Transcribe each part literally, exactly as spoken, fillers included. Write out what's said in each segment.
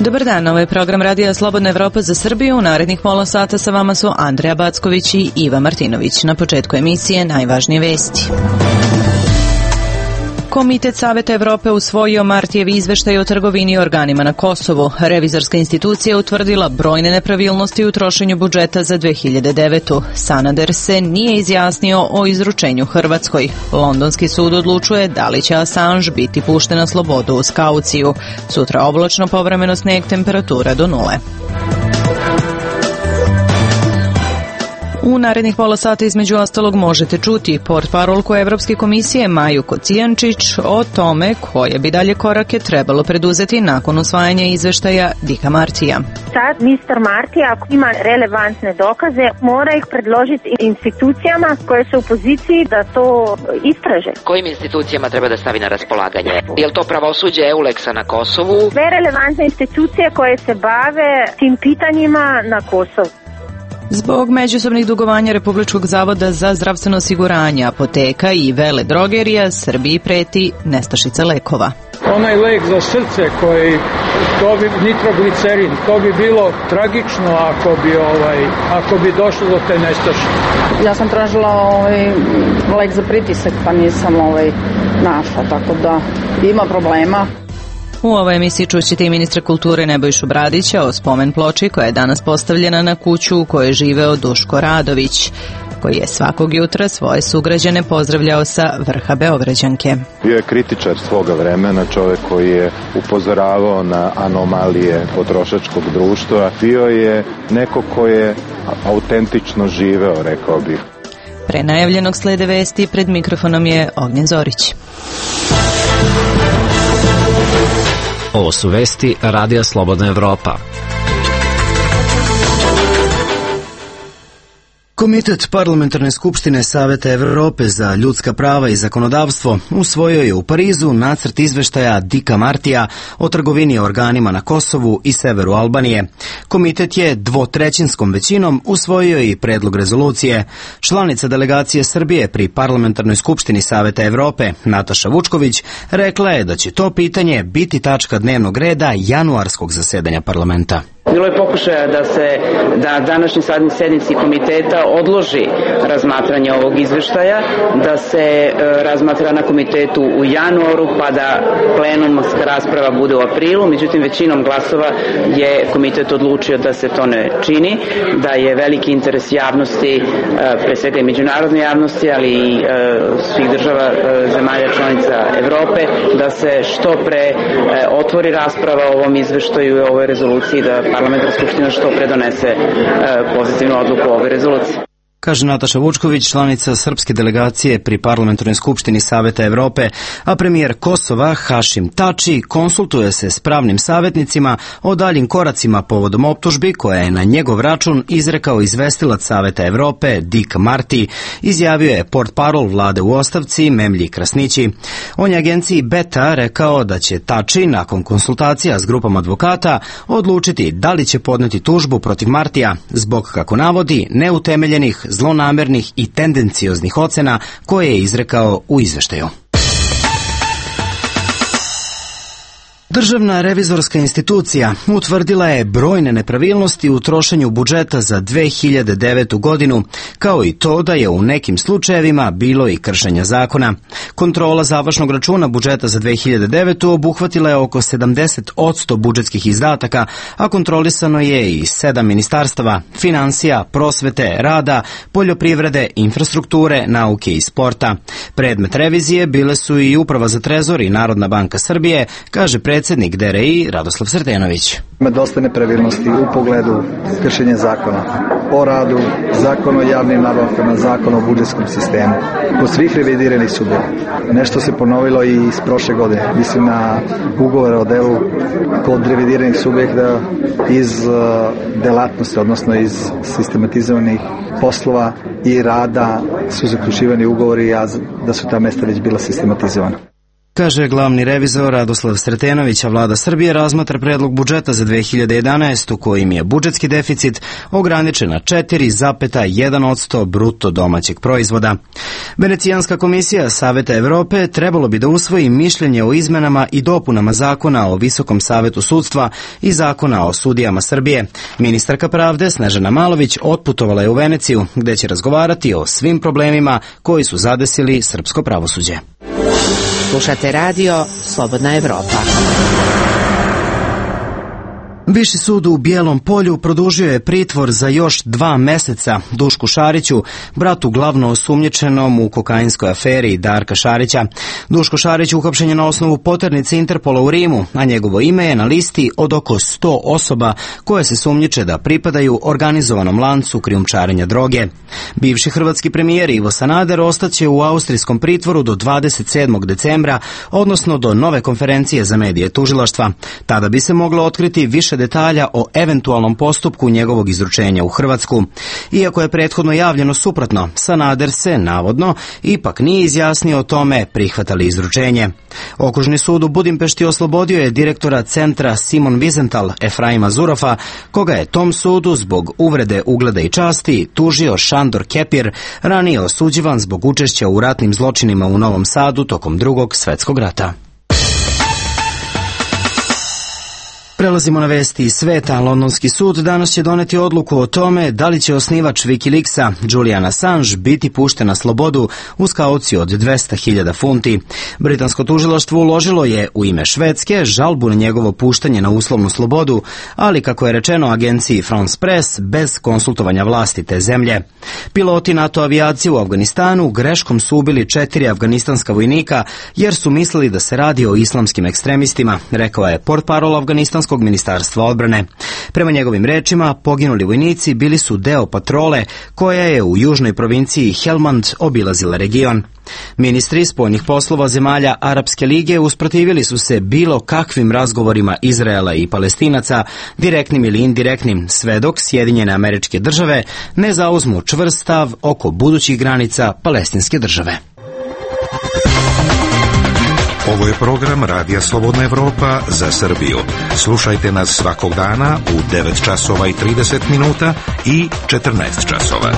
Dobar dan, ovo je program Radija Slobodna Evropa za Srbiju. U narednih pola sata sa vama su Andreja Backović i Iva Martinović. Na početku emisije najvažnije vesti. Komitet Saveta Evrope usvojio Martijev izveštaj o trgovini i organima na Kosovu. Revizorska institucija utvrdila brojne nepravilnosti u trošenju budžeta za dve hiljade devetu. Sanader se nije izjasnio o izručenju Hrvatskoj. Londonski sud odlučuje da li će Assange biti pušten na slobodu uz kauciju. Sutra oblačno, povremeno sneg, temperatura do nule. U narednih pola sata između ostalog možete čuti portparolku Evropske komisije Maju Kocijančić o tome koje bi dalje korake trebalo preduzeti nakon usvajanja izveštaja Dicka Martija. Sad mister Marti, ako ima relevantne dokaze, mora ih predložiti institucijama koje su u poziciji da to istraže. Kojim institucijama treba da stavi na raspolaganje? Je li to pravosuđe Euleksa na Kosovu? Sve relevantne institucije koje se bave tim pitanjima na Kosovu. Zbog međusobnih dugovanja Republičkog zavoda za zdravstveno osiguranje, apoteka i vele drogerija, Srbiji preti nestašica lekova. Onaj lek za srce koji, to bi nitroglicerin, to bi bilo tragično ako bi, ovaj, ako bi došlo do te nestašice. Ja sam tražila ovaj, lek za pritisak, pa nisam ovaj, našla, tako da ima problema. U ovoj emisiji čućete i ministra kulture Nebojšu Bradića o spomen ploči koja je danas postavljena na kuću u kojoj je živeo Duško Radović, koji je svakog jutra svoje sugrađane pozdravljao sa vrha Beograđanke. Bio je kritičar svoga vremena, čovjek koji je upozoravao na anomalije potrošačkog društva. Bio je neko ko je autentično živeo, rekao bih. Pre najavljenog slede vesti, pred mikrofonom je Ognjen Zorić. Ovo su vesti Radija Slobodna Evropa. Komitet Parlamentarne skupštine Saveta Evrope za ljudska prava i zakonodavstvo usvojio je u Parizu nacrt izveštaja Dicka Martija o trgovini organima na Kosovu i severu Albanije. Komitet je dvotrećinskom većinom usvojio i predlog rezolucije. Članica delegacije Srbije pri Parlamentarnoj skupštini Saveta Evrope, Nataša Vučković, rekla je da će to pitanje biti tačka dnevnog reda januarskog zasedanja parlamenta. Bilo je pokušaja da se da današnji sednici komiteta odloži razmatranje ovog izveštaja, da se e, razmatra na komitetu u januaru, pa da plenumska rasprava bude u aprilu. Međutim, većinom glasova je komitet odlučio da se to ne čini, da je veliki interes javnosti, e, pre svega i međunarodne javnosti, ali i e, svih država e, zemalja članica Evrope, da se što pre e, otvori rasprava o ovom izveštaju i ovoj rezoluciji, da Parlamentarna skupština što pre donese e, pozitivnu odluku o ovoj rezoluciji. Kaže Nataša Vučković, članica srpske delegacije pri Parlamentarnoj skupštini Saveta Evrope, a premijer Kosova Hašim Tači konsultuje se s pravnim savjetnicima o daljim koracima povodom optužbi koja je na njegov račun izrekao izvestilac Saveta Evrope Dick Marty, izjavio je portparol vlade u ostavci Memlji Krasnići. On je agenciji Beta rekao da će Tači nakon konsultacija s grupom advokata odlučiti da li će podneti tužbu protiv Martija zbog, kako navodi, neutemeljenih, zlonamernih i tendencioznih ocena koje je izrekao u izveštaju. Državna revizorska institucija utvrdila je brojne nepravilnosti u trošenju budžeta za dve hiljade devetu godinu, kao i to da je u nekim slučajevima bilo i kršenja zakona. Kontrola završnog računa budžeta za dve hiljade devetu obuhvatila je oko sedamdeset posto budžetskih izdataka, a kontrolisano je i sedam ministarstava: finansija, prosvete, rada, poljoprivrede, infrastrukture, nauke i sporta. Predmet revizije bile su i Uprava za trezor i Narodna banka Srbije, kaže predsjednik predsjednik D R I Radoslav Sretenović. Ima dosta nepravilnosti u pogledu kršenja zakona o radu, zakon o javnim nabavkama, zakon o budžetskom sistemu. Kod svih revidiranih sudova. Nešto se ponovilo i iz prošle godine. Mislim na ugovore o delu kod revidiranih subjekta iz uh, delatnosti, odnosno iz sistematizovanih poslova i rada su zaključivani ugovori, a da su ta mesta već bila sistematizovana. Kaže glavni revizor Radoslav Sretenović, a vlada Srbije razmatra predlog budžeta za dve hiljade jedanaestu kojim je budžetski deficit ograničen na četiri zarez jedan posto bruto domaćeg proizvoda. Venecijanska komisija Saveta Evrope trebalo bi da usvoji mišljenje o izmenama i dopunama zakona o Visokom savetu sudstva i zakona o sudijama Srbije. Ministarka pravde Snežana Malović otputovala je u Veneciju, gde će razgovarati o svim problemima koji su zadesili srpsko pravosuđe. Slušate radio Slobodna Evropa. Viši sud u Bijelom Polju produžio je pritvor za još dva meseca Dušku Šariću, bratu glavno osumnjičenom u kokainskoj aferi Darka Šarića. Duško Šarić uhapšen je na osnovu poternice Interpola u Rimu, a njegovo ime je na listi od oko sto osoba koje se sumnjiče da pripadaju organizovanom lancu krijumčarenja droge. Bivši hrvatski premijer Ivo Sanader ostaće u austrijskom pritvoru do dvadeset sedmog decembra, odnosno do nove konferencije za medije tužilaštva. Tada bi se moglo otkriti više detalja o eventualnom postupku njegovog izručenja u Hrvatsku. Iako je prethodno javljeno suprotno, Sanader se, navodno, ipak nije izjasnio o tome prihvata li izručenje. Okružni sud u Budimpešti oslobodio je direktora centra Simon Wiesenthal Efraima Zurofa, koga je tom sudu zbog uvrede ugleda i časti tužio Šandor Kepir, ranije osuđivan zbog učešća u ratnim zločinima u Novom Sadu tokom Drugog svetskog rata. Prelazimo na vesti iz sveta. Londonski sud danas će doneti odluku o tome da li će osnivač Wikileaksa, Julian Assange, biti pušten na slobodu uz kauciju od dvesta hiljada funti. Britansko tužilaštvo uložilo je u ime Švedske žalbu na njegovo puštanje na uslovnu slobodu, ali kako je rečeno agenciji France Press, bez konsultovanja vlasti te zemlje. Piloti NATO avijacije u Afganistanu greškom su ubili četiri afganistanska vojnika jer su mislili da se radi o islamskim ekstremistima, rekao je portparol afganistanskog ministarstva odbrane. Prema njegovim rečima, poginuli vojnici bili su deo patrole koja je u južnoj provinciji Helmand obilazila region. Ministri spoljnih poslova zemalja Arapske lige usprotivili su se bilo kakvim razgovorima Izraela i Palestinaca, direktnim ili indirektnim, sve dok Sjedinjene Američke Države ne zauzmu čvrst stav oko budućih granica Palestinske države. Ovo je program Radija Slobodna Evropa za Srbiju. Slušajte nas svakog dana u devet časova i trideset minuta i četrnaest časova.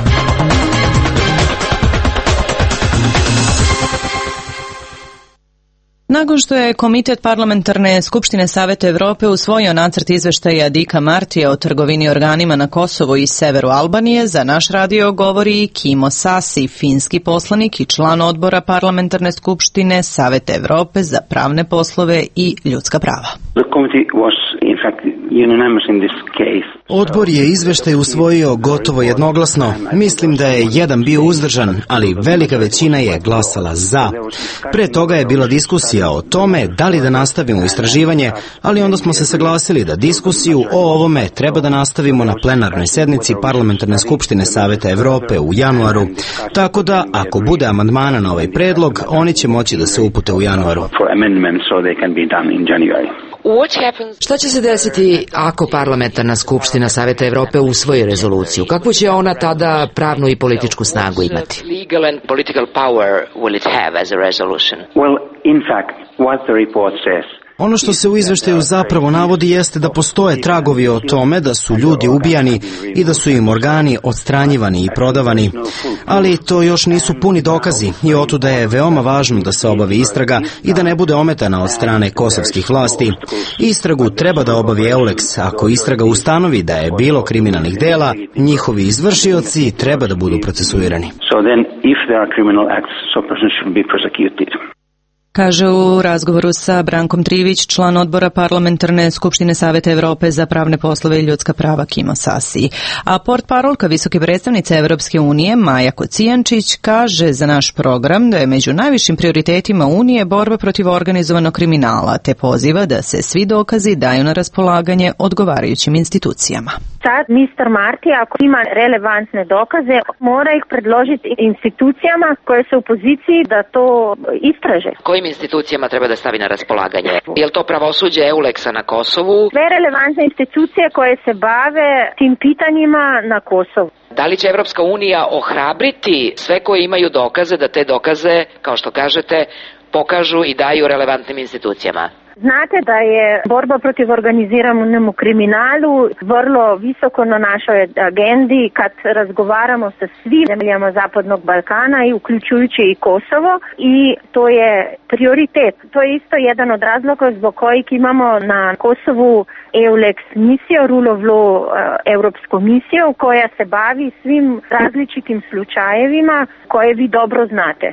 Nakon što je Komitet parlamentarne skupštine Saveta Evrope usvojio nacrt izveštaja Dika Martija o trgovini organima na Kosovu i severu Albanije, za naš radio govori Kimo Sasi, finski poslanik i član odbora parlamentarne skupštine Saveta Evrope za pravne poslove i ljudska prava. Odbor je izveštaj usvojio gotovo jednoglasno. Mislim da je jedan bio uzdržan, ali velika većina je glasala za. Pre toga je bila diskusija o tome da li da nastavimo istraživanje, ali onda smo se saglasili da diskusiju o ovome treba da nastavimo na plenarnoj sednici Parlamentarne skupštine Saveta Evrope u januaru. Tako da, ako bude amandmana na ovaj predlog, oni će moći da se upute u januaru. Šta će se desiti ako Parlamentarna skupština Saveta Evrope usvoji rezoluciju? Kakvu će ona tada pravnu i političku snagu imati? Ono što se u izveštaju zapravo navodi jeste da postoje tragovi o tome da su ljudi ubijani i da su im organi odstranjivani i prodavani. Ali to još nisu puni dokazi i otuda je veoma važno da se obavi istraga i da ne bude ometana od strane kosovskih vlasti. Istragu treba da obavi EULEX. Ako istraga ustanovi da je bilo kriminalnih dela, njihovi izvršioci treba da budu procesuirani. Kaže u razgovoru sa Brankom Trivić, član odbora parlamentarne skupštine Saveta Evrope za pravne poslove i ljudska prava Kimo Sasi. A portparolka visoke predstavnice Evropske unije Maja Kocijančić kaže za naš program da je među najvišim prioritetima Unije borba protiv organizovanog kriminala, te poziva da se svi dokazi daju na raspolaganje odgovarajućim institucijama. Sad mister Marti, ako ima relevantne dokaze, mora ih predložiti institucijama koje su u poziciji da to istraže. Kojim institucijama treba da stavi na raspolaganje? Je li to pravosuđe EULEX-a na Kosovu? Sve relevantne institucije koje se bave tim pitanjima na Kosovu. Da li će Evropska unija ohrabriti sve koji imaju dokaze, da te dokaze, kao što kažete, pokažu i daju relevantnim institucijama. Znate da je borba protiv organiziranemu kriminalu vrlo visoko na našoj agendi kad razgovaramo sa svim zemljama Zapadnog Balkana i uključujući i Kosovo i to je prioritet. To je isto jedan od razloga zbog kojih imamo na Kosovu EULEX misiju, Rule of Law europsku misiju koja se bavi svim različitim slučajevima koje vi dobro znate.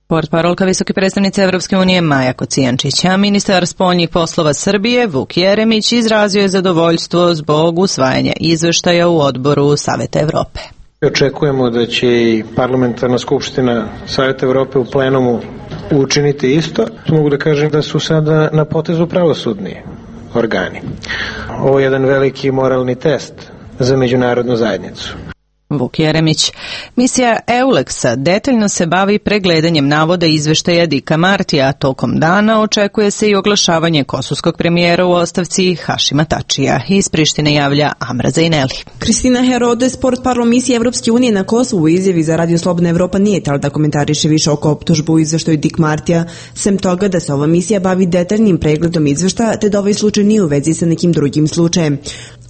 Portparolka visoke predstavnice Evropske unije Maja Kocijančić, a ministar spoljnih poslova Srbije Vuk Jeremić izrazio je zadovoljstvo zbog usvajanja izveštaja u odboru Saveta Evrope. Očekujemo da će i parlamentarna skupština Saveta Evrope u plenumu učiniti isto. Mogu da kažem da su sada na potezu pravosudni organi. Ovo je jedan veliki moralni test za međunarodnu zajednicu. Vuk Jeremić. Misija EULEX-a detaljno se bavi pregledanjem navoda izveštaja Dika Martija, a tokom dana očekuje se i oglašavanje kosovskog premijera u ostavci Hašima Tačija. Iz Prištine javlja Amra Zajneli. Kristina Herodes, portparol misije Evropske unije na Kosovu, u izjavi za Radio Slobodna Evropa nije tala da komentariše više oko optužbu u izveštaju Dik Martija, sem toga da se ova misija bavi detaljnim pregledom izveštaja, te da ovaj slučaj nije u vezi sa nekim drugim slučajem.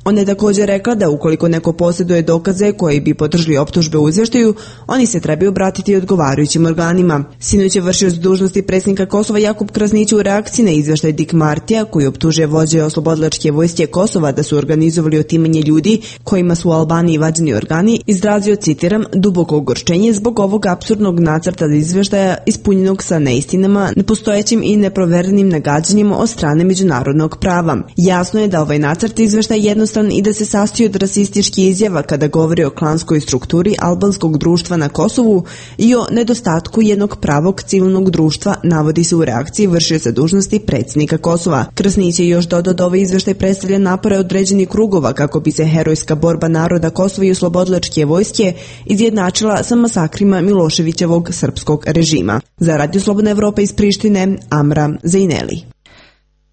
Ona je također rekla da ukoliko neko posjeduje dokaze koji bi podržali optužbe u izveštaju, oni se trebaju obratiti odgovarajućim organima. Sinoć je vršioc dužnosti predsjednika Kosova Jakub Krasnić u reakciji na izveštaj Dik Martija, koji optužuje vođe oslobodilačke vojske Kosova da su organizovali otimanje ljudi kojima su u Albaniji vađeni organi, izrazio, citiram, duboko ogorčenje zbog ovog apsurdnog nacrta izveštaja ispunjenog sa neistinama, nepostojećim i neproverenim nagađanjima od strane međunarodnog prava. Jasno je da ovaj nacrt izveštaja jednostavno i da se sastoji od rasističkih izjava kada govori o klanskoj strukturi albanskog društva na Kosovu i o nedostatku jednog pravog civilnog društva, navodi se u reakciji vršioca dužnosti predsjednika Kosova. Krasnić je još dodao da ovaj izveštaj predstavlja napore određenih krugova kako bi se herojska borba naroda Kosova i oslobodilačke vojske izjednačila sa masakrima Miloševićevog srpskog režima. Za Radio Slobodna Evropa iz Prištine, Amra Zajneli.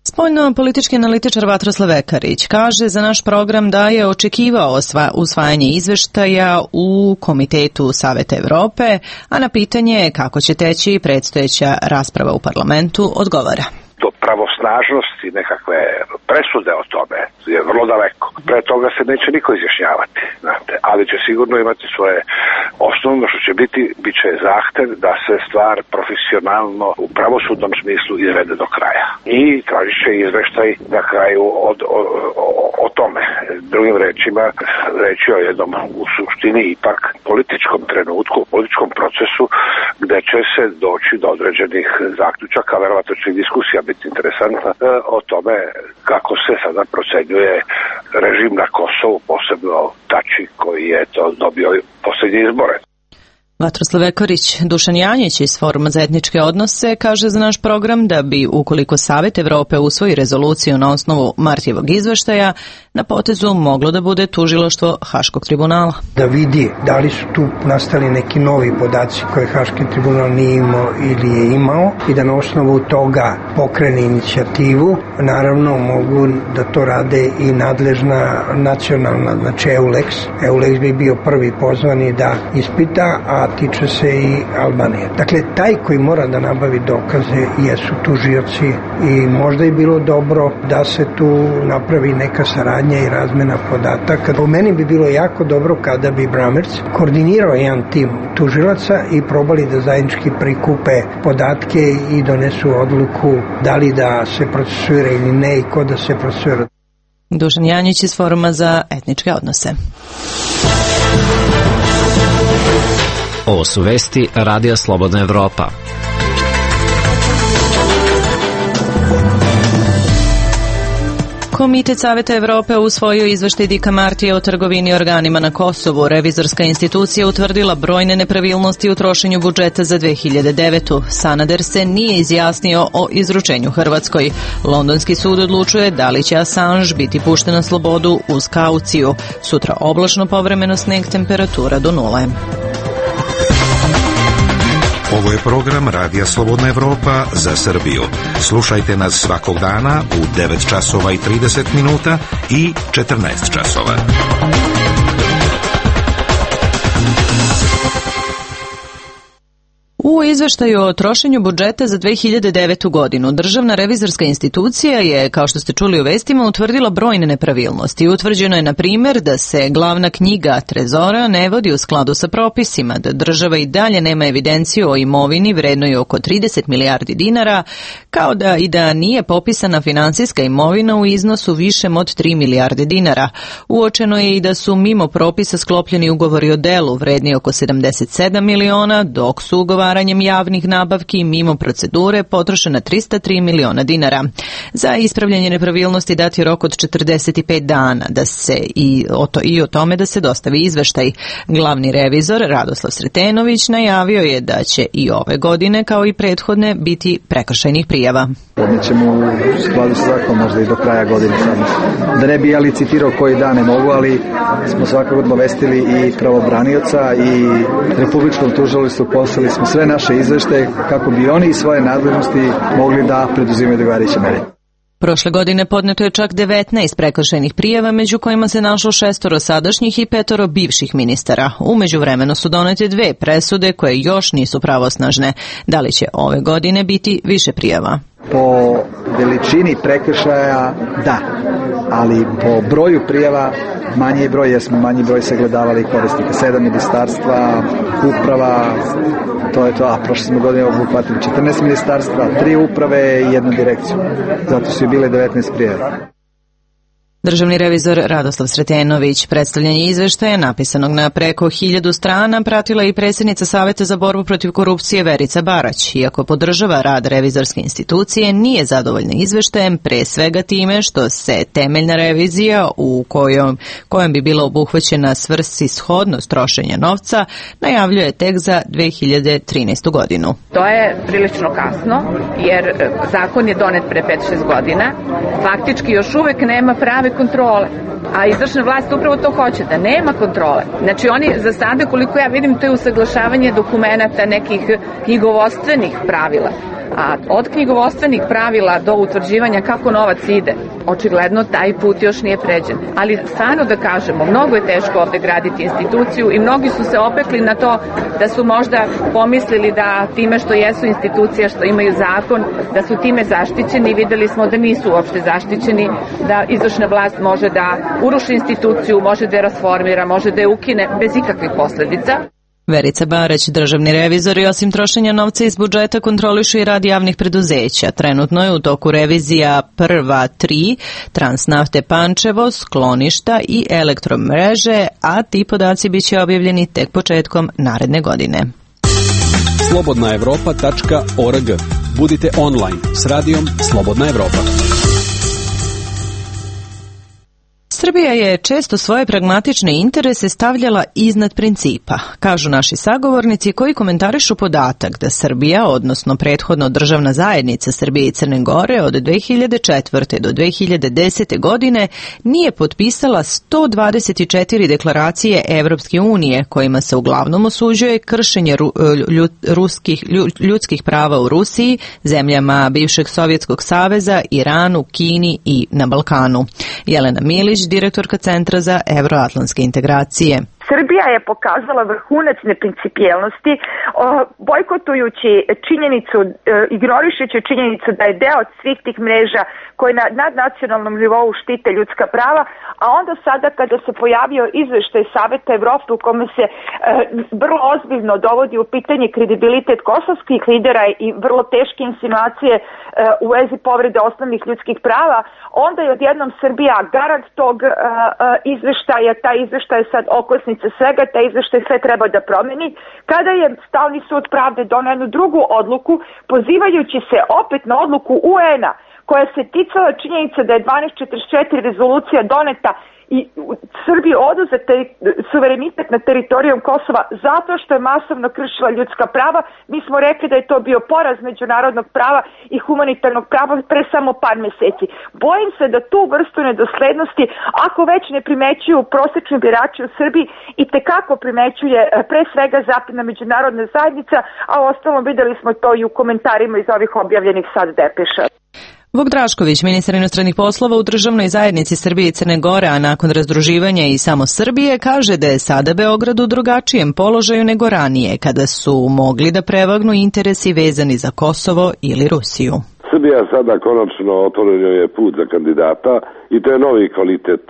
Spoljno-politički analitičar Vatroslav Ekarić kaže za naš program da je očekivao usvajanje izveštaja u Komitetu Saveta Evrope, a na pitanje kako će teći predstojeća rasprava u parlamentu odgovara. Do pravosnažnosti nekakve presude o tome je vrlo daleko. Pre toga se neće niko izjašnjavati, znate, ali će sigurno imati svoje osnovno što će biti, bit će zahtev da se stvar profesionalno u pravosudnom smislu izvede do kraja. I tražit će izveštaj na kraju od, o, o, o tome. Drugim rečima, reći o jednom u suštini ipak političkom trenutku, političkom procesu gde će se doći do određenih zaključaka, verovatno će diskusija biti interesantna o tome kako se sada procenjuje režim na Kosovu, posebno Tači koji je to dobio posljednje izbore. Vatroslav Ekorić. Dušan Janjić iz Foruma za etničke odnose kaže za naš program da bi, ukoliko Savet Evrope usvoji rezoluciju na osnovu Martijevog izveštaja, na potezu moglo da bude tužilaštvo Haškog tribunala. Da vidi da li su tu nastali neki novi podaci koje Haški tribunal nije imao ili je imao i da na osnovu toga pokrene inicijativu. Naravno mogu da to rade i nadležna nacionalna, znači EULEX. EULEX bi bio prvi pozvani da ispita, a tiče se i Albanije. Dakle, taj koji mora da nabavi dokaze jesu tužioci i možda je bilo dobro da se tu napravi neka saradnja i razmena podataka. Po meni bi bilo jako dobro kada bi Bramerc koordinirao jedan tim tužilaca i probali da zajednički prikupe podatke i donesu odluku da li da se procesuira ili ne i ko da se procesuira. Dušan Janjić iz Foruma za etničke odnose. Ovo su vesti Radija Slobodna Evropa. Komitet Saveta Evrope usvojio izveštaj Dika Martija o trgovini organima na Kosovu. Revizorska institucija utvrdila brojne nepravilnosti u trošenju budžeta za dve hiljade devetu. Sanader se nije izjasnio o izručenju Hrvatskoj. Londonski sud odlučuje da li će Assange biti pušten na slobodu uz kauciju. Sutra oblačno, povremeno sneg, temperatura do nule. Ovo je program Radija Slobodna Evropa za Srbiju. Slušajte nas svakog dana u devet časova i trideset minuta i četrnaest časova. U izveštaju o trošenju budžeta za dve hiljade devetu. godinu Državna revizorska institucija je, kao što ste čuli u vestima, utvrdila brojne nepravilnosti. Utvrđeno je, na primjer, da se glavna knjiga Trezora ne vodi u skladu sa propisima, da država i dalje nema evidenciju o imovini vrednoj oko trideset milijardi dinara, kao da i da nije popisana finansijska imovina u iznosu višem od tri milijarde dinara. Uočeno je i da su mimo propisa sklopljeni ugovori o delu vredni oko sedamdeset sedam miliona, dok su ugovaranjem javnih nabavki mimo procedure potrošena tristo tri miliona dinara. Za ispravljanje nepravilnosti dat je rok od četrdeset pet dana da se i o, to, i o tome da se dostavi izveštaj. Glavni revizor Radoslav Sretenović najavio je da će i ove godine, kao i prethodne, biti prekršajnih prijava. Podnećemo u skladu sa zakonom možda i do kraja godine. Da ne bi ja licitirao koji dan ne mogu, ali smo svakako obavestili i pravobranioca i Republičkom tužilaštvu, poslali smo sve naše izveštaje kako bi oni i svoje nadležnosti mogli da preduzimaju odgovarajuće mere. Prošle godine podneto je čak devetnaest prekršajnih prijava, među kojima se našlo šestoro sadašnjih i petoro bivših ministara. U međuvremenu su donete dve presude koje još nisu pravosnažne. Da li će ove godine biti više prijava? Po veličini prekršaja da, ali po broju prijava manji broj, jer smo manji broj sagledavali korisnika. Sedam ministarstva, uprava, to je to, a prošle smo godine obuhvatili četrnaest ministarstva, tri uprave i jednu direkciju. Zato su i bile devetnaest prijava. Državni revizor Radoslav Sretenović. Predstavljanje izveštaja napisanog na preko hiljadu strana pratila i predsjednica Saveta za borbu protiv korupcije Verica Barać. Iako podržava rad revizorske institucije, nije zadovoljna izveštajem, pre svega time što se temeljna revizija u kojom, kojom bi bila obuhvaćena svrsishodnost trošenja novca najavljuje tek za dve hiljade trinaestu. godinu. To je prilično kasno, jer zakon je donet pre pet šest godina. Faktički još uvek nema prave kontrole, a izvršna vlast upravo to hoće, da nema kontrole. Znači oni za sada, koliko ja vidim, to je usaglašavanje dokumenata nekih knjigovodstvenih pravila. A od knjigovodstvenih pravila do utvrđivanja kako novac ide, očigledno taj put još nije pređen. Ali stvarno da kažemo, mnogo je teško ovde graditi instituciju i mnogi su se opekli na to da su možda pomislili da time što jesu institucija, što imaju zakon, da su time zaštićeni. Videli smo da nisu uopšte zaštićeni, da izvršna vlast može da uruši instituciju, može da je rasformira, može da je ukine bez ikakvih posledica. Verica Barać, državni revizor, i osim trošenja novca iz budžeta kontrolišu i rad javnih preduzeća. Trenutno je u toku revizija prva tri, Transnafte Pančevo, skloništa i elektromreže, a ti podaci biće objavljeni tek početkom naredne godine. slobodna evropa tačka org. Budite online s radijom Slobodna Evropa. Srbija je često svoje pragmatične interese stavljala iznad principa, kažu naši sagovornici koji komentarišu podatak da Srbija, odnosno prethodno državna zajednica Srbije i Crne Gore od dve hiljade četvrte do dve hiljade desete. godine nije potpisala sto dvadeset četiri deklaracije Evropske unije kojima se uglavnom osuđuje kršenje ljud, ruskih, ljudskih prava u Rusiji, zemljama bivšeg Sovjetskog saveza, Iranu, Kini i na Balkanu. Jelena Milić, direktorka Centra za evroatlantske integracije. Srbija je pokazala vrhunac neprincipijelnosti, bojkotujući činjenicu, ignorišući činjenicu da je deo svih tih mreža koje na nadnacionalnom nivou štite ljudska prava, a onda sada kada se pojavio izveštaj Saveta Evrope u kome se e, vrlo ozbiljno dovodi u pitanje kredibilitet kosovskih lidera i vrlo teške insinuacije e, u vezi povrede osnovnih ljudskih prava, onda je odjednom Srbija garant tog e, e, izveštaja, taj izveštaj je sad okosnica svega, taj izveštaj sve treba da promeni. Kada je Stalni sud pravde doneo jednu drugu odluku, pozivajući se opet na odluku U N-a, koja se ticala činjenica da je dvanaest četrdeset četiri rezolucija doneta i Srbiji oduzete suverenitet na teritorijom Kosova zato što je masovno kršila ljudska prava. Mi smo rekli da je to bio poraz međunarodnog prava i humanitarnog prava pre samo par meseci. Bojim se da tu vrstu nedoslednosti, ako već ne primećuju prosečni birači u Srbiji, i tekako primećuje pre svega zapadna međunarodna zajednica, a ostalom videli smo to i u komentarima iz ovih objavljenih sad depeša. Vuk Drašković, ministar inostranih poslova u državnoj zajednici Srbije i Crne Gore, a nakon razdruživanja i samo Srbije, kaže da je sada Beograd u drugačijem položaju nego ranije, kada su mogli da prevagnu interesi vezani za Kosovo ili Rusiju. Srbija sada konačno otvorio je put za kandidata i to je novi kvalitet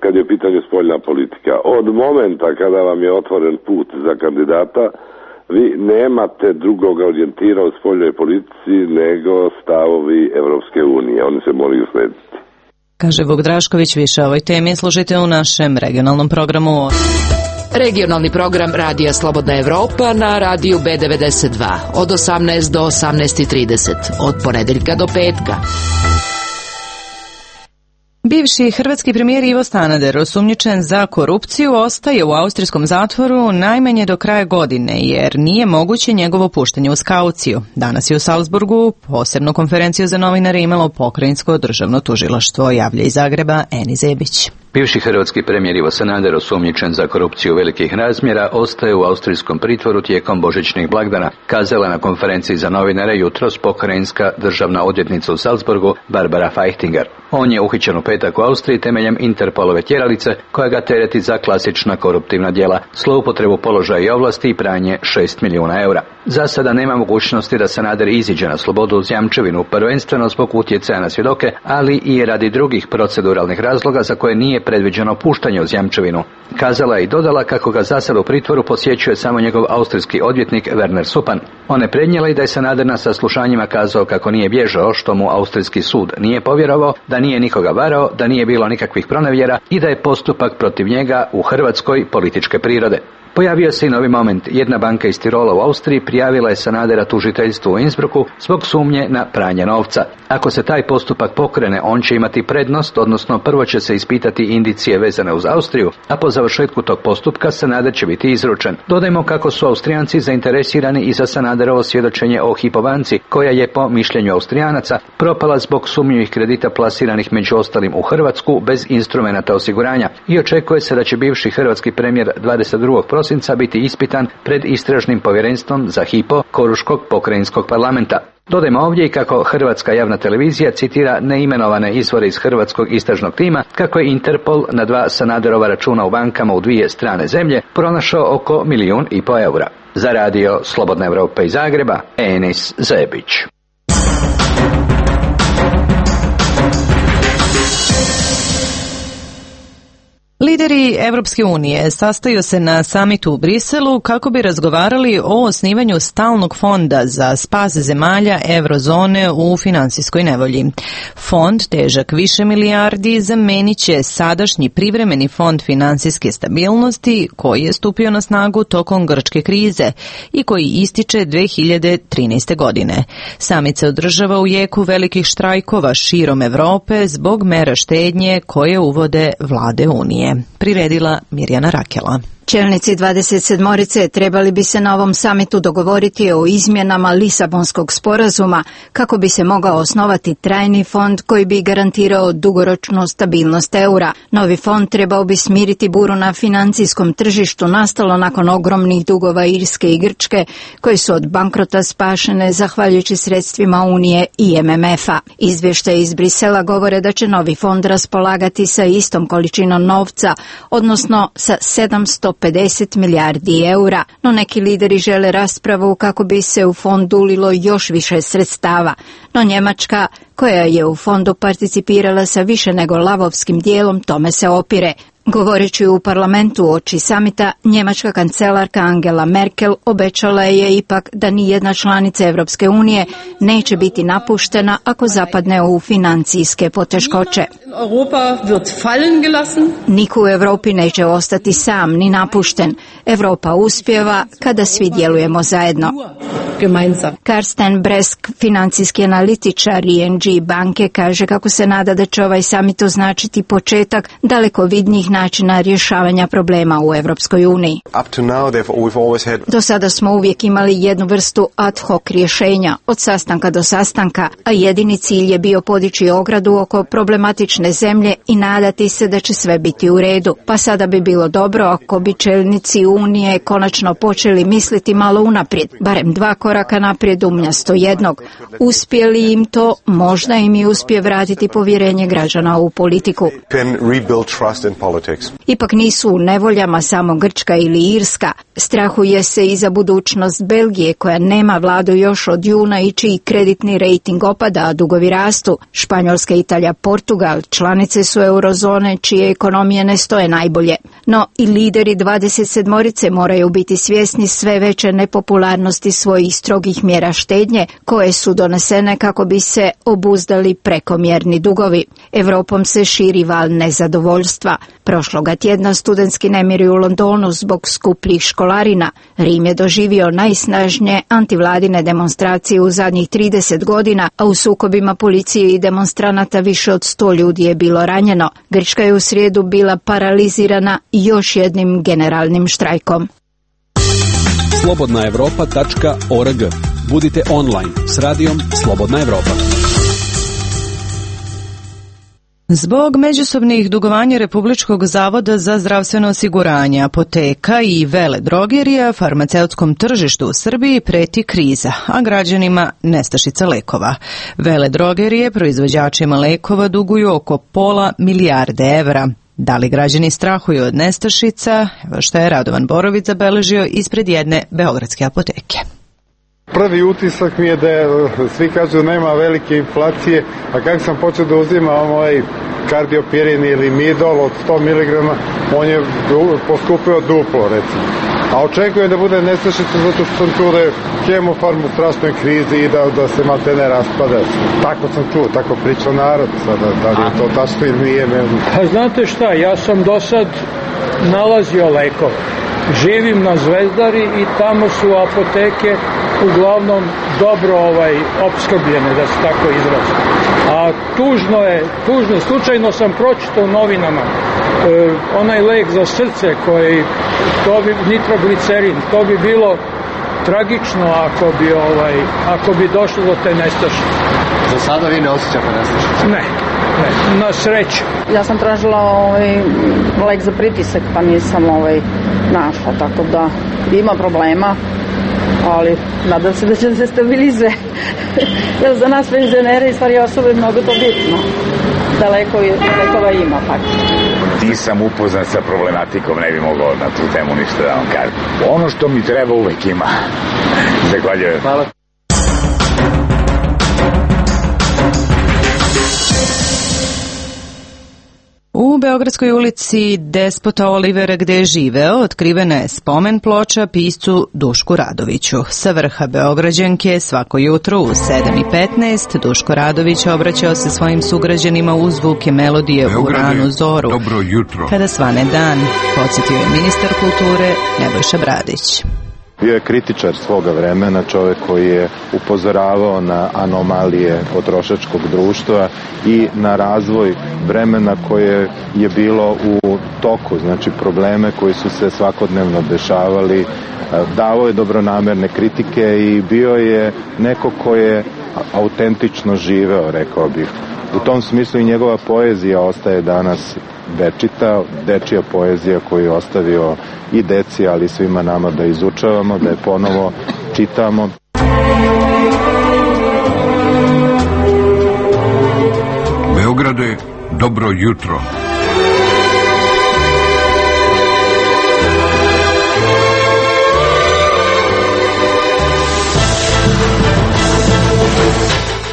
kad je u pitanju spoljna politika. Od momenta kada vam je otvoren put za kandidata, vi nemate drugog orijentira u spoljnoj politici nego stavovi Evropske unije. Oni se moraju slediti. Kaže Vuk Drašković. Više o ovoj temi slušajte u našem regionalnom programu. Regionalni program Radija Slobodna Evropa na radiju B devedeset dva od osamnaest do osamnaest trideset, od ponedeljka do petka. Bivši hrvatski premijer Ivo Sanader, osumnjičen za korupciju, ostaje u austrijskom zatvoru najmanje do kraja godine, jer nije moguće njegovo puštanje uz kauciju. Danas je u Salzburgu posebnu konferenciju za novinare imalo pokrajinsko državno tužilaštvo, javlja iz Zagreba Eni Zebić. Bivši hrvatski premijer Ivo Sanader, osumnjičen za korupciju velikih razmjera, ostaje u austrijskom pritvoru tijekom božićnih blagdana, kazala na konferenciji za novinare jutros pokrajinska državna odvjetnica u Salzburgu Barbara Feichtinger. On je uhićen u petak u Austriji temeljem Interpolove tjeralice koja ga tereti za klasična koruptivna djela, zloupotrebu položaja i ovlasti i pranje šest milijuna eura. Za sada nema mogućnosti da Sanader iziđe na slobodu uz jamčevinu, prvenstveno zbog utjecaja na svjedoke, ali i radi drugih proceduralnih razloga za koje nije predviđeno puštanje uz jamčevinu. Kazala je i dodala kako ga za sada u pritvoru posjećuje samo njegov austrijski odvjetnik Werner Suppan. On je prednijela i da je Sanader na saslušanjima kazao kako nije bježao, što mu austrijski sud nije povjerovao, da nije nikoga varao, da nije bilo nikakvih pronevjera i da je postupak protiv njega u Hrvatskoj političke prirode. Pojavio se i novi moment. Jedna banka iz Tirola u Austriji prijavila je Sanadera tužiteljstvu u Innsbrucku zbog sumnje na pranje novca. Ako se taj postupak pokrene, on će imati prednost, odnosno prvo će se ispitati indicije vezane uz Austriju, a po završetku tog postupka Sanader će biti izručen. Dodajmo kako su Austrijanci zainteresirani i za Sanaderovo svjedočenje o Hypo banci, koja je po mišljenju Austrijanaca propala zbog sumnjivih kredita plasiranih među ostalim u Hrvatsku bez instrumenata osiguranja i očekuje se da će bivši hrvatski premijer dvadeset drugog prosinca biti ispitan pred istražnim povjerenstvom za Hypo Koruškog pokrajinskog parlamenta. Dodajmo ovdje i kako hrvatska javna televizija citira neimenovane izvore iz hrvatskog istražnog tima kako je Interpol na dva Sanaderova računa u bankama u dvije strane zemlje pronašao oko milijun i po eura. Za radio Slobodna Evropa iz Zagreba, Enis Zebić. Lideri Evropske unije sastaju se na samitu u Briselu kako bi razgovarali o osnivanju stalnog fonda za spas zemalja eurozone u finansijskoj nevolji. Fond, težak više milijardi, zamenit će sadašnji privremeni fond finansijske stabilnosti koji je stupio na snagu tokom grčke krize i koji ističe dve hiljade trinaeste. godine. Samit se održava u jeku velikih štrajkova širom Evrope zbog mera štednje koje uvode vlade Unije. Priredila Mirjana Rakela. Čelnici dvadeset sedmorice trebali bi se na ovom samitu dogovoriti o izmjenama Lisabonskog sporazuma kako bi se mogao osnovati trajni fond koji bi garantirao dugoročnu stabilnost eura. Novi fond trebao bi smiriti buru na financijskom tržištu nastalo nakon ogromnih dugova Irske i Grčke koji su od bankrota spašene zahvaljujući sredstvima Unije i M M F-a. Izvještaji iz Brisela govore da će novi fond raspolagati sa istom količinom novca, odnosno sa sedamsto pedeset milijardi eura, no neki lideri žele raspravu kako bi se u fond ulilo još više sredstava. No Njemačka, koja je u fondu participirala sa više nego lavovskim dijelom, tome se opire. Govoreći u parlamentu uoči samita, njemačka kancelarka Angela Merkel obećala je ipak da ni jedna članica Evropske unije neće biti napuštena ako zapadne u financijske poteškoće. Niko u Europi neće ostati sam ni napušten. Europa uspijeva kada svi djelujemo zajedno. Karsten Bresk, financijski analitičar I N G banke, kaže kako se nada da će ovaj samit označiti početak dalekovidnijih načina rješavanja problema u Europskoj uniji. Do sada smo uvijek imali jednu vrstu ad hoc rješenja, od sastanka do sastanka, a jedini cilj je bio podići ogradu oko problematične zemlje i nadati se da će sve biti u redu. Pa sada bi bilo dobro ako bi čelnici Unije konačno počeli misliti malo unaprijed, barem dva koraka koraka naprijed umjesto jednog. Uspije li im to, možda im i uspije vratiti povjerenje građana u politiku. Ipak nisu u nevoljama samo Grčka ili Irska. Strahuje se i za budućnost Belgije, koja nema vladu još od juna i čiji kreditni rejting opada, a dugovi rastu. Španjolska, Italija, Portugal članice su eurozone čije ekonomije ne stoje najbolje. No i lideri dvadeset sedmorice moraju biti svjesni sve veće nepopularnosti svojih strogih mjera štednje koje su donesene kako bi se obuzdali prekomjerni dugovi. Europom se širi val nezadovoljstva. Prošloga tjedna studentski nemiri u Londonu zbog skupljih školarina. Rim je doživio najsnažnije antivladine demonstracije u zadnjih trideset godina, a u sukobima policije i demonstranata više od sto ljudi je bilo ranjeno. Grčka je u srijedu bila paralizirana još jednim generalnim štrajkom. slobodna europa tačka org. Budite online s radijom Slobodna Evropa. Zbog međusobnih dugovanja Republičkog zavoda za zdravstveno osiguranje, apoteka i veledrogerija, farmaceutskom tržištu u Srbiji preti kriza, a građanima nestašica lekova. Veledrogerije proizvođačima lekova duguju oko pola milijarde evra. Da li građani strahuju od nestašica? Evo što je Radovan Borović zabeležio ispred jedne beogradske apoteke. Prvi utisak mi je da je, svi kažu nema velike inflacije, a kako sam počeo da uzimam ovaj kardiopirin ili midol od sto miligrama, on je poskupio duplo, recimo. A očekujem da bude nestašica zato što sam čuo da je Hemofarm u strašnoj krizi i da, da se maltene raspada. Tako sam čuo, tako priča narod sada, da li je to tačno ili nije. Pa znate šta, ja sam do sad nalazio lekove. Živim na Zvezdari i tamo su apoteke uglavnom dobro ovaj opskrbljene, da se tako izrazim. A tužno je, tužno, slučajno sam pročitao u novinama e, onaj lek za srce koji, to bi, nitroglicerin, to bi bilo tragično ako bi, ovaj, ako bi došlo do te nestašice. Za sada vi ne osjećate nestašice? Ne, ne, na sreću. Ja sam tražila ovaj, lek za pritisak, pa nisam ovaj, našla, tako da ima problema, ali nadam se da će se stabilizuje. Jer za nas penzionere i stvari osobe je mnogo to bitno, da lekovi, lekova ima faktično. Nisam upoznat sa problematikom, ne bi mogao na tu temu ništa da vam kažem. Ono što mi treba uvek ima. Zahvaljujem. Hvala. U Beogradskoj ulici Despota Olivera, gde je živeo, otkrivena je spomen ploča piscu Dušku Radoviću. Sa vrha Beograđanke svako jutro u sedam i petnaest Duško Radović obraćao se svojim sugrađanima uz zvuke melodije Beograde, u ranu zoru. Dobro jutro. Kada svane dan, podsjetio je ministar kulture Nebojša Bradić. Bio je kritičar svoga vremena, čovjek koji je upozoravao na anomalije potrošačkog društva i na razvoj vremena koje je bilo u toku, znači probleme koji su se svakodnevno dešavali. Davao je dobronamerne kritike i bio je neko ko je autentično živeo, rekao bih. U tom smislu i njegova poezija ostaje danas večita, dečija poezija koju je ostavio i deci, ali svima nama da izučavamo, da je ponovo čitamo. Beograde, dobro jutro.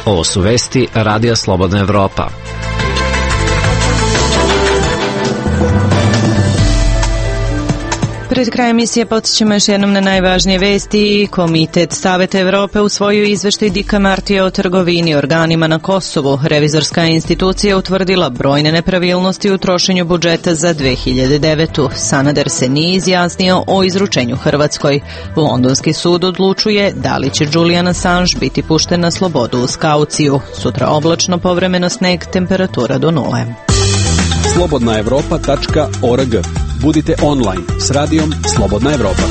Ovo su vesti Radija Slobodna Evropa. Pred krajem emisije podsjećamo još jednom na najvažnije vesti. Komitet Saveta Evrope usvojio izveštaj Dika Martija o trgovini i organima na Kosovu. Revizorska institucija utvrdila brojne nepravilnosti u trošenju budžeta za dve hiljade devetu. Sanader se nije izjasnio o izručenju Hrvatskoj. Londonski sud odlučuje da li će Julian Assange biti pušten na slobodu uz kauciju. Sutra oblačno, povremeno sneg, temperatura do nule. slobodna evropa tačka org. Budite online s radijom Slobodna Evropa.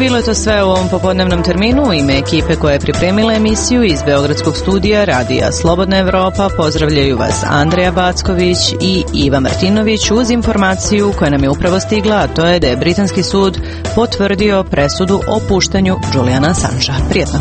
bilo je to sve u ovom popodnevnom terminu. U ime ekipe koja je pripremila emisiju iz Beogradskog studija Radija Slobodna Evropa pozdravljaju vas Andreja Backović i Iva Martinović uz informaciju koja nam je upravo stigla, a to je da je britanski sud potvrdio presudu o puštanju Juliana Assangea. Prijetno.